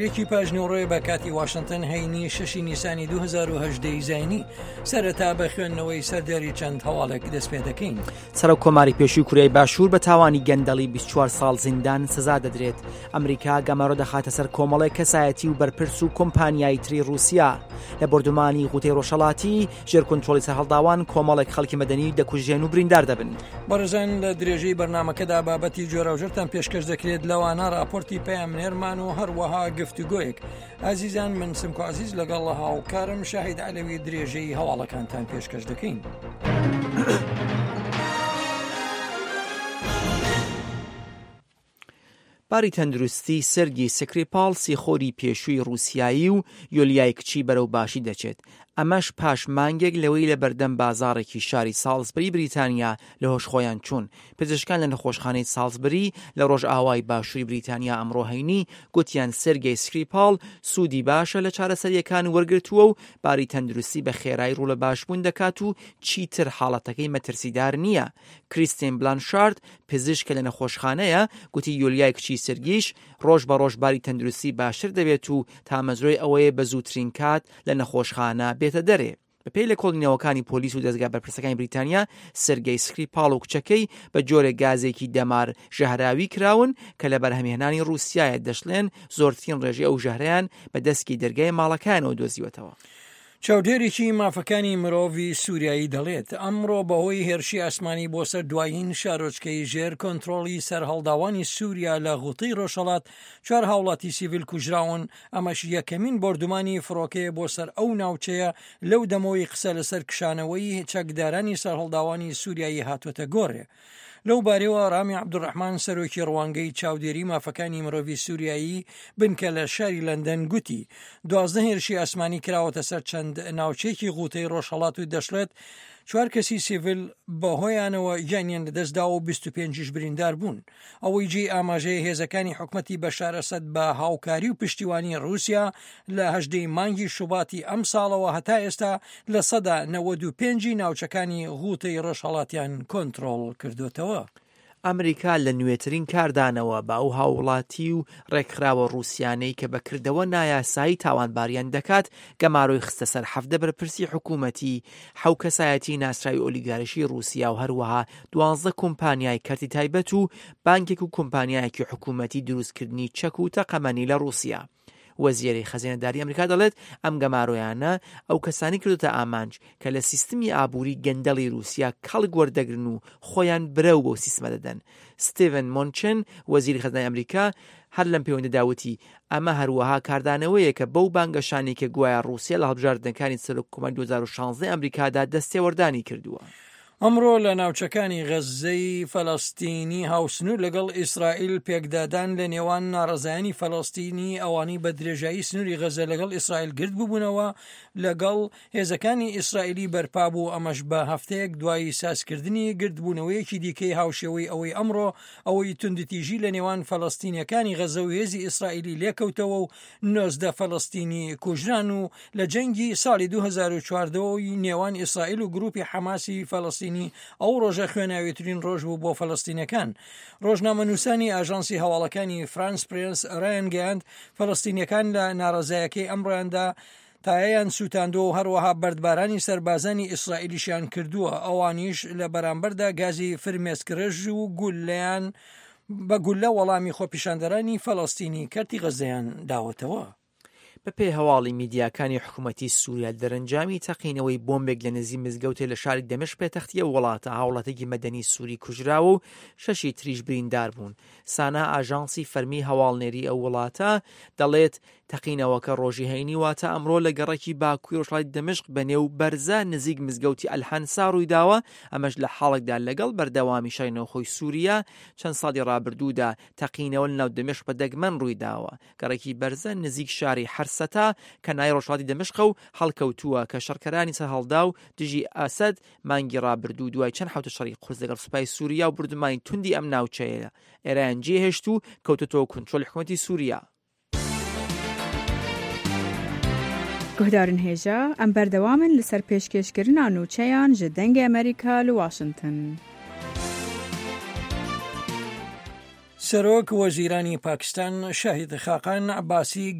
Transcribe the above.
یەکی پاش نیوەڕۆیە بە کاتی واشنتن هەینی شەشی نیسانی 2010 ی زاینی سەرەتا بە خوێندنەوەی سەردێڕی چەند هەواڵێک دەست پێ دەکەین. سەرۆک کۆماری پێشووی کوریای باشوور بە تاوانی گەندەڵی 24 ساڵ زیندان سزا دەدرێت. ئەمریکا گەمارۆ دەخاتە سەر کۆمەڵێک کەسایەتی و بەرپرس و کۆمپانیای تری ڕووسیا. لە بۆردومانی غوتەی ڕۆژهەڵاتی ژێر کونترۆڵی سەرهەڵداوان کۆمەڵێک خەڵکی مەدەنی دەکوژرێن و بریندار دەبن. بەڕێزان لە درێژەی بەرنامەکەدا بابەتی جۆراوجۆرتان پێشکەش دەکرێت لەوانە راپۆرتی پەیامنێرمان و هەروەها گفتوگۆیەک ئازیزان من سمکۆ عزیز لەگەڵ هاوکارم شاهید عەلەوی درێژەی هەواڵەکانتان پێشکەش دەکەین. باری تەندروستی سێرگی سکریپاڵ سیخۆری پێشووی ڕووسیایی و یۆلیای کچی بەرەو باشی دەچێت، ئەمەش پاش مانگێک لەوەی لە بەردەم بازاڕێکی شاری ساڵزبری بریتانیا لە هۆش خۆیان چوون. پزیشکان لە نەخۆشخانەی ساڵزبری لە ڕۆژئاوای باشووری بریتانیا ئەمڕۆ هەینی گوتیان سێرگی سکریپاڵ سوودی باشە لە چارەسەرییەکان وەرگرتووە و باری تەندروستی بە خێرایی ڕوو لە باشبوون دەکات و چیتر حاڵەتەکەی مەترسیدار نییە. کریستین بلانشارد، پزیشک کە لە نەخۆشخانەیە، گوتی یۆلیای کچی سێرگیش ڕۆژ بە ڕۆژ باری تەندروستی باشتر دەبێت و تامەزرۆی ئەوەیە بە زووترین کات لە نەخۆشخانە بێتە دەرێ. بەپێی لێکۆڵینەوەکانی پۆلیس و دەزگا بەرپرسەکانی بریتانیا، سێرگەی سکریپاڵ و کچەکەی بە جۆرێک گازێکی دەمار ژەهراوی کراون کە لە بەرهەمهێنانی ڕووسیایە، دەشڵێن زۆرترین ڕێژەی ئەو ژەهرەیان بە دەسکی دەرگای ماڵەکەیانەوە دۆزیوەتەوە. چاودێرێکی مافەکانی مرۆڤی سووریایی دەڵێت، ئەمڕۆ بەهۆی هێرشی ئاسمانی بۆ سەر دوایین شارۆچکەی ژێر کۆنترۆڵی سەرهەڵداوانی سووریا لە غوتەی ڕۆژهەڵات، چوار هاوڵاتی سیڤیل کوژراون، ئەمەش یەکەمین بۆردومانی فڕۆکەیە بۆ سەر ئەو ناوچەیە لەو دەمەوەی قسە لەسەر کشانەوەی چەکدارانی سەرهەڵداوانی سووریایی هاتۆتە گۆڕێ. لەو بارەیەوە ڕامی عەبدولڕەحمان سەرۆکی ڕوانگەی چاودێری مافەکانی مرۆڤی سووریایی بنکە لە شاری لەندەن گوتی 12 هێرشی ئاسمانی کراوەتە سەر چەند ناوچەیەکی غوتەی ڕۆژهەڵات و دەشڵێت چوار کەسی سیڤیل بەهۆیانەوە گیانیان لەدەستداوە و 25یش بریندار بوون. ئەوەی جێی ئاماژەیە هێزەکانی حکومەتی بەشار ئەسەد بە هاوکاری و پشتیوانی ڕووسیا لە هەژدەی مانگی شوباتی ئەمساڵەوە هەتا ئێستا 95% ی ناوچەکانی غوتەی ڕۆژهەڵاتیان کۆنترۆڵ کردۆتەوە. ئەمریکا لە نوێترین کاردانەوە بە ئەو هاووڵاتی و ڕێکخراوە ڕووسیانەی کە بە کردەوە نایاسایی تاوانباریان دەکات، گەمارۆی خستە سەر 17 بەرپرسی حکوومەتی، حەو کەسایەتی ناسراوی ئۆلیگارشی ڕووسیا و هەروەها دوانزە کۆمپانیای کەرتی تایبەت و بانکێک و کۆمپانیایەکی حکوومەتی دروستکردنی چەک و تەقەمەنی لە ڕووسیا. وەزیری خەزێنەداری ئەمریکا دەڵێت ئەم گەمارۆیانە ئەو کەسانی کردوتە ئامانج کە لە سیستمی ئابووری گەندەڵی رووسیا کەڵک وەردەگرن و خۆیان برەو بەو سیستمە دەدەن. ستیڤن مۆنچن وەزیری خەزێنەداری ئەمریکا هەر لەم پەیوەندەدا وتی ئەمە هەروەها کاردانەوەیەکە بەو بانگەشانەی کە گوایە ڕووسیا لە هەڵبژاردنەکانی سەرۆک کۆماری 2016 ئەمریکادا دەستێوەردانی کردووە. ئەمڕۆ لە ناوچەکانی غەززەی فەلەستینی هاوسنوور لەگەڵ ئیسرائیل پێکدادان لە نێوان ناڕەزایانی فەلەستینی ئەوانەی بە درێژایی سنووری غەززە لەگەڵ ئیسرائیل گرد ببوونەوە لەگەڵ هێزەکانی ئیسرائیلی بەرپا بوو ئەمەش بە هەفتەیەک دوای سازکردنی گردبوونەوەیەکی دیکەی هاوشێوەی ئەوەی ئەمڕۆ ئەوەی توندوتیژی لە نێوان فەلەستینیەکانی غەزە و هێزی ئیسرائیلی لێکەوتەوە و 19 فەلەستینی کوژران و لە جەنگی ساڵی 2014 ی نێوان ئیسرائیل و گروپی حەماسی فەلەستینی ئەو ڕۆژە خوێناویترین ڕۆژ بوو بۆ فەلەستینەکان. ڕۆژنامەنووسانی ئاژانسی هەواڵەکانی فرانس پرێس ڕایانگەیاند فەلەستینیەکان لە ناڕەزایەکەی ئەمڕۆیاندا تایەیان سووتاندووە و هەروەها بەردبارانی سەربازانی ئیسرائیلیشیان کردووە، ئەوانیش لە بەرامبەردا گازی فرمێسکڕێژ و گوللەیان بە گوللە وەڵامی خۆپیشاندەرانی فەلەستینی کەرتی غەززەیان داوەتەوە. بەپێی هەواڵی میدیاکانی حکومەتی سووریا، دەرەنجامی تەقینەوەی بۆمبێک لە نزیک مزگەوتێ لە شاری دەمشق پێتەختی ئەو وڵاتە، هاوڵاتییەکی مەدەنی سووری کوژراوە و شەشی تریش بریندار بوون. سانا ئاژانسی فەرمی هەواڵنێری ئەو وڵاتە دەڵێت، تەقینەوەکە ڕۆژی هەینی واتە ئەمڕۆ لە گەڕەکی باکووری ڕۆژهەڵاتی دەمشق بە نێو بەرزە نزیک مزگەوتی ئەلهەنسا ڕوویداوە، ئەمەش لە حاڵێکدا لەگەڵ بەردەوامی شەڕی ناوخۆی سووریا چەند ساڵی ڕابردوودا تەقینەوە لە ناو دەمشق بە دەگمەن ڕوویداوە. گەڕەکی بەرزە نزیک شاری حەرسەتا کە نای ڕۆژهەڵاتی دەمشقە و هەڵکەوتووە کە شەڕکەرانی سەرهەڵداو دژی ئەسەد مانگی ڕابردوو دوای چەند حەوتە شەڕی قورس لەگەڵ سوپای سووریا و بوردومانی توندی ئەم ناوچەیە ئێرایان جێهێشت و کەوتۆتەوە کونترۆلی حکومەتی سووریا. گوهدارن هێژا، ئەم بەردەوامن لەسەر پێشکێشکردنا نوچەیان ژ دەنگێ ئەمریکا لە واشنتن. سەرۆک وەزیرانی پاکستان شاهید خاقان عەباسی.